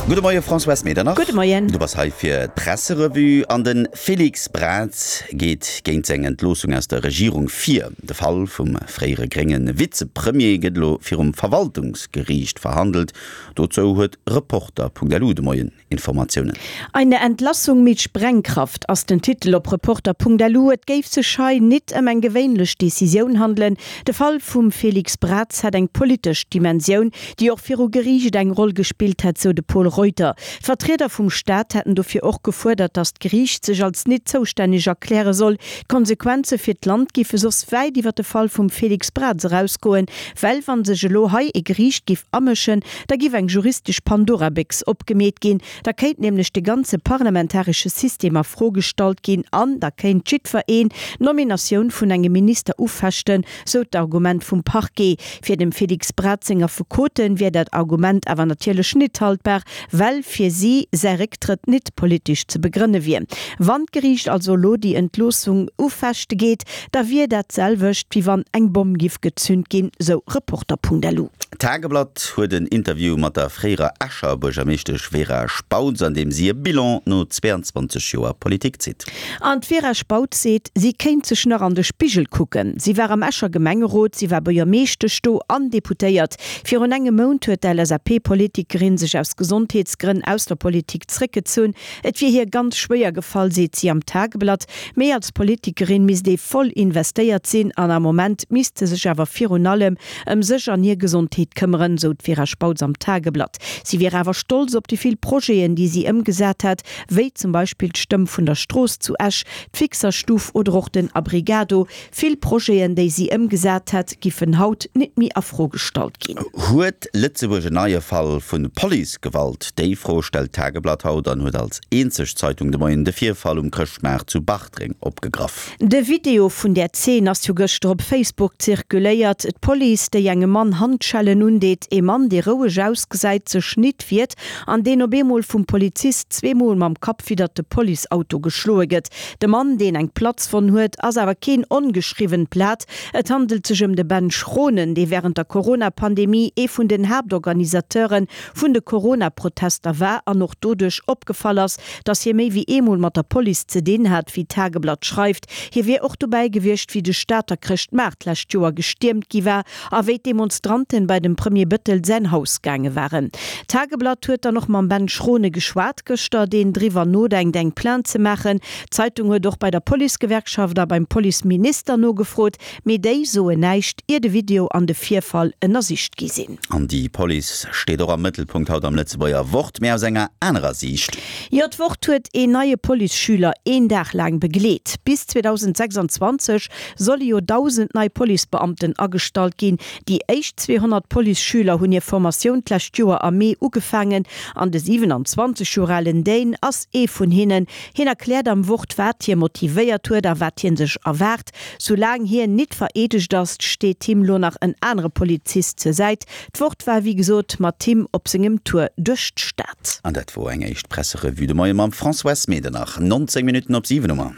Gudde Moie Françoise Medernach. Gudde Moien. Du bass hei fir d'Presserevue an de Félix Braz geet géint seng Entloossung aus der Regierung vir. De Fall vum fréiere grénge Vizepremier gëtt elo virum Verwaltungsgeriicht verhandelt. Dozou huet Reporter.lu de Moien Informatiounen. Eine Entlassung mit Sprengkraft ass den Titel op Reporter.lu. Et géif sech hei nit ëm eng gewéinlech Decisioun handelen. De Fall vum Félix Braz hätt eng politesch Dimensioun, déi och viru Geriicht eng Roll gespillt hätt, sou de Pol Reuter. D'Vertrieder vum Staat hätten dofir och gefuerdert, datt d'Geriicht sech als nit zoustänneg erkläre soll. D'Konsequenze fir d'Land giffe soss wäit iwwer de Fall vum Félix Braz erausgoen, well wa sech elo hei e Geriicht giff amëschen, Da giff eng juristesch Pandora-Béchs opgemeet ginn, da kéint nämlech de ganze parlamentaresche System a Fro gestallt ginn an da kéint jiddwer een d'Nominatioun vun engem Minister ufechten, sou d'Argument vum Parquet. Fir dem Félix Braz seng Affekoten wier dat Argument awer natierlech nit haltbar, well fir si säi Récktrëtt nit politesch ze begrënne wier. Wann d'Geriicht also elo déi Entloossung ufechte geet, da wier dat d'selwecht wéi wann eng Bomm giff gezünt ginn, sou Reporter.lu. D'Tageblatt huet en Interview mat der fréierer Escher Buergermeeschtesch Vera Spautz, an deem si e Bilan no 22 Joer Politik zitt. An d'Vera Spautz seet, si kéint sech nach an de Spigel kucken. Si war am Escher Gemengerot, si war Buergermeeschtesch do an Deputéiert. Virun engem Mount huet d'LSAP-Politikerin sech aus Gesondheetsgrënn aus der Politik zréckgezunn. Et wier hir ganz schwéier gefall, seet si am Tageblatt. Mee als Politikerin misst ee voll investéiert sinn an am Moment misst se sech awer virun allem ëm sech an hir Gesondheet këmmeren, sou d'Vera Spautz am Tageblatt. Si wier awer stolz op déi vill Projeten, déi si ëmgesat hätt, wéi zum Beispill d'Stëmm vun der Strooss zu Esch, d'Fixerstuf oder och den Abrigado. Vill Projeten, déi si ëmgesat hätt, giffen haut nit méi a Fro gestallt ginn. Huet Lëtzebuerg en neie Fall vu Policegewalt? Déi Fro stellt d'Tageblatt haut an huet als eenzeg Zeitung de Moien de Virfall um Chrëschtmaart zu Bartreng opgegraff. De Video vun där Zeen ass jo gëschter op Facebook zirkuléiert. D'Police, déi engem Mann Handschellen undeet, ee Mann, dee roueg ausgesäit, sech nit wiert an deen op eemol vum Polizist zweemol mam Kapp widdert de Policeauto geschloe gëtt. De Mann, deen eng Platzwonn huet, ass awer keen ongeschriwwent Blat. Et handelt sech ëm de Ben Schronen, dee wärend der Corona-Pandemie ee vun den Haaptorganisateure vun de Corona-Protester war an och doduerch opgefall ass, datt hie méi wéi eemol mat der Police ze dinn hat, wéi d'Tageblatt schreift. Hie wier och dobäi gewiescht, wéi de Stater Chrëschtmaart d'lescht Joer gestiermt gi war a wéi d'Demonstranten bei dem Premier Bëttel säin Haus gaange waren. D'Tageblatt huet dann och mam Ben Schrone geschwat gëschter, deen driwwer nodenkt eng Plainte ze maachen. D'Zeitung huet och bei der Policegewerkschaft a beim Policeminister nogefrot, mee déi soen näischt, ier de Video an de Virfall ënnersicht gi sinn. An déi Police steet och am Mëttelpunkt haut am Lëtzebuerger Wort, mee aus enger anerer Siicht. Jo, d'Wort huet een neie Policeschüler een Dag laang begleet. Bis 2026 solle jo 1.000 nei Policebeamten agestallt ginn. Déi éischt 200 Policeschüler hunn hir Formatioun d'lescht Joer am Mee ugefaangen an de 27 Joer alen Dane ass ee vun hinnen. Hien erkläert am Wort, wat hie motivéiert huet a wat hie sech erwaart. Soulaang hien nit vereedegt ass, steet him lo nach en anere Polizist zur Säit. D'Wort war wéi gesot mat him op sengem Tour duerch d'Stad. An dat wor eng éischt Presserevue de Moie mam Françoise Medernach. 19 Minutten op 7 hu mer.